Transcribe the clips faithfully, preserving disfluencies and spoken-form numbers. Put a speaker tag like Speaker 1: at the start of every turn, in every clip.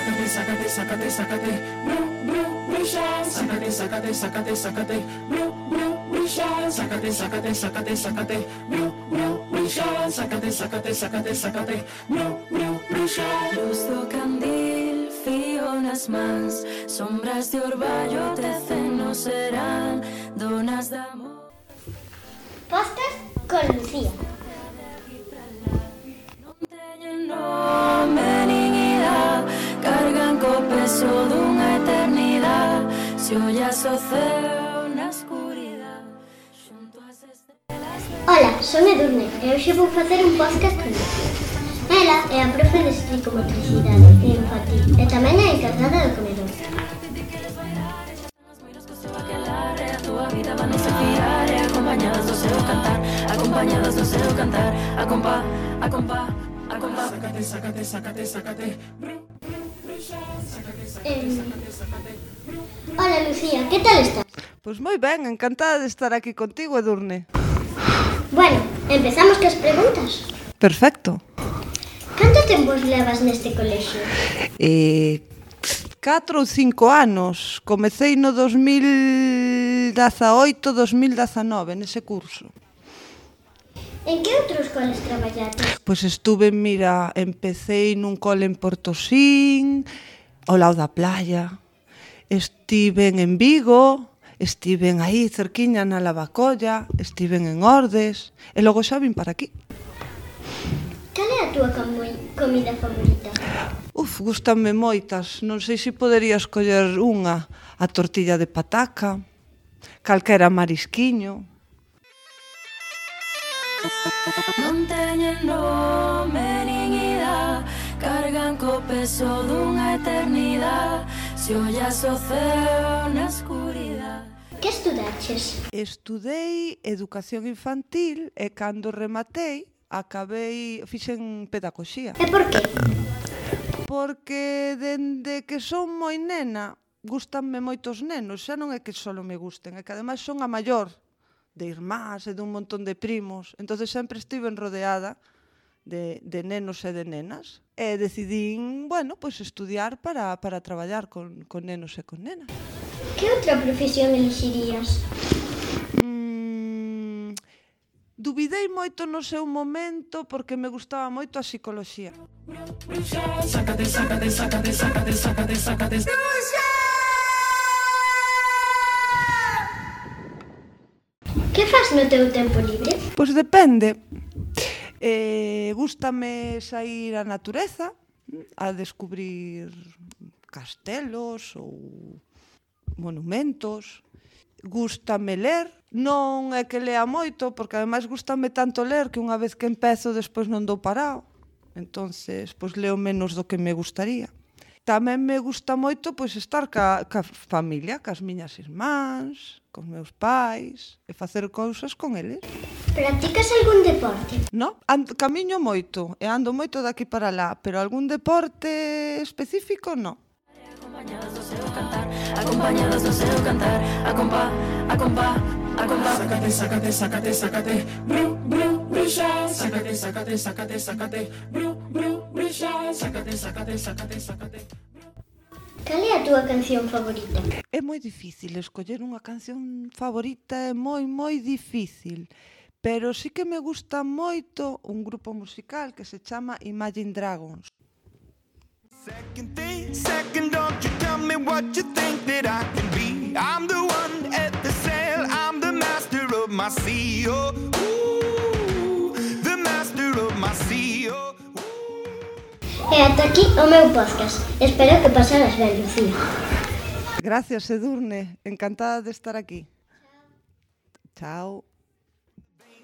Speaker 1: sácate, sácate, sácate, sácate, bru, bru, bruxa, sácate, sácate, sácate, sácate, bru, bru, bruxa, sácate, sácate, sácate, sácate, bru, bru, bruxa, sácate, sácate, sácate, sácate, bru, bru, bruxa.
Speaker 2: Luz do candil, fío nas mans, sombras de orballo tecen no serán, donas de amor.
Speaker 3: Podcast con Lucía.
Speaker 2: Non teñen nome nin idade, cargan co peso dunha eternidade. Se ollas o ceo na escuridade, xunto as estrelas.
Speaker 3: Hola, son Edurne e hoxe vou facer un podcast con Lucía. Ela é a profe de psicomotricidade e infantil e tamén é a encargada do comedor.
Speaker 2: Acompañadas do seu cantar, acompañadas do seu cantar, acompa, acompa, acompa.
Speaker 1: Sácate, sácate, sácate, sácate, bru, bru, bruxa, sácate, sácate, sácate, sácate, bru.
Speaker 3: Hola Lucía, que tal estás?
Speaker 4: Pois moi ben, encantada de estar aquí contigo, Edurne.
Speaker 3: Bueno, empezamos cas preguntas.
Speaker 4: Perfecto.
Speaker 3: Canto tempo levas neste colexio?
Speaker 4: Eh, catro ou cinco anos. Comecei no dos mil dezaoito, dos mil dezanove, nese curso.
Speaker 3: En que outros coles traballates?
Speaker 4: Pois estuve, mira, empecé nun cole en Portosín, ao lado da playa. Estiven en Vigo, estiven aí cerquiña na Lavacolla, estiven en Ordes, e logo xa vin para aquí.
Speaker 3: Cal é a túa comi- comida favorita?
Speaker 4: Uf, gústanme moitas, non sei se podería escoller unha, a tortilla de pataca, calquera marisquiño.
Speaker 2: Non teñen nome nin idade, cargan co peso dunha eternidade. Se ollas o ceo na escuridade.
Speaker 3: Que estudaches?
Speaker 4: Estudei educación infantil e cando rematei, acabei, fixen pedagoxía.
Speaker 3: E por que?
Speaker 4: Porque dende que son moi nena, gústanme moitos nenos, xa non é que só me gusten, é que ademais son a maior de irmás e dun montón de primos, entonces sempre estiven rodeada de, de nenos e de nenas, e decidín, bueno, pois estudiar para, para traballar con, con nenos e con nenas.
Speaker 3: Que outra profesión elixirías?
Speaker 4: Mm, dubidei moito no seu momento porque me gustaba moito a psicoloxía.
Speaker 1: Bruxa, sácate, sácate, sácate, sácate, sácate, sácate.
Speaker 3: Que fas no teu tempo libre?
Speaker 4: Pois depende. Eh, gústame sair á natureza, a descubrir castelos ou monumentos. Gústame ler, non é que lea moito, porque ademais gústame tanto ler que unha vez que empezo despois non dou parado. Entonces, pois leo menos do que me gustaría. Tamén me gusta moito pois estar ca, ca familia, cas miñas irmáns, cos meus pais, e facer cousas con eles.
Speaker 3: Practicas algún deporte?
Speaker 4: No, ando, camiño moito e ando moito daqui para lá, pero algún deporte específico no.
Speaker 2: Acompañadas do seu cantar, acompañadas do seu cantar, acompa, acompa, acompa.
Speaker 1: Sácate, sácate, sácate, sácate, bru, bru, bruxa, sácate, sácate, sácate, sácate, bru, bru, bruxa, sácate, sácate, sácate, sácate.
Speaker 3: Cal é a túa canción favorita?
Speaker 4: É moi difícil escoller unha canción favorita, é moi, moi difícil. Pero sí que me gusta moito un grupo musical que se chama Imagine Dragons.
Speaker 5: Second thing, second, don't you tell me what you think that I can be. I'm the one at the sail, I'm the master of my sea. Oh, ooh, the master of my sea. Oh, ooh.
Speaker 3: E ata aquí o meu podcast. Espero que pasaras ben, Lucía.
Speaker 4: Gracias, Edurne. Encantada de estar aquí. Chao.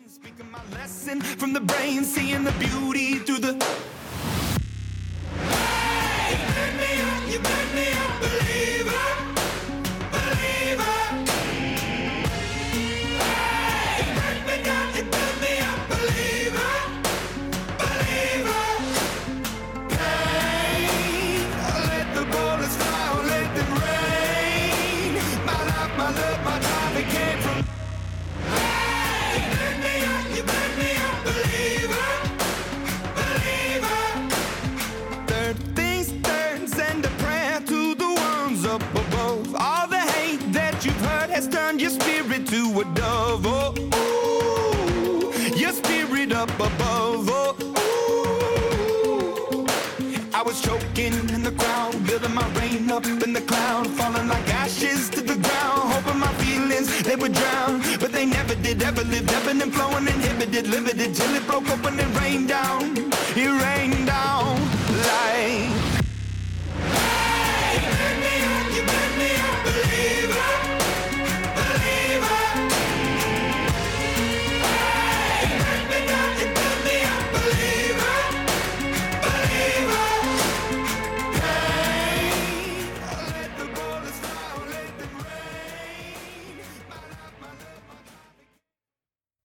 Speaker 5: Speaking my lesson from the brain, seeing the beauty through the. Hey, you burn me up, you burn me up, believer, believer. Hey, you burn me down, you burn me up, believer, believer. Pain, let the bullets fly, let them rain. My life, my love, my time, it came from. You burn me up, believer, believer. Third things turns and the it up above. Oh, ooh. I was choking in the crowd, building my rain up in the cloud, falling like ashes to the ground, hoping my feelings, they would drown. But they never did, ever lived, ebbing and flowing, inhibited, limited, till it broke open and rained down. It rained.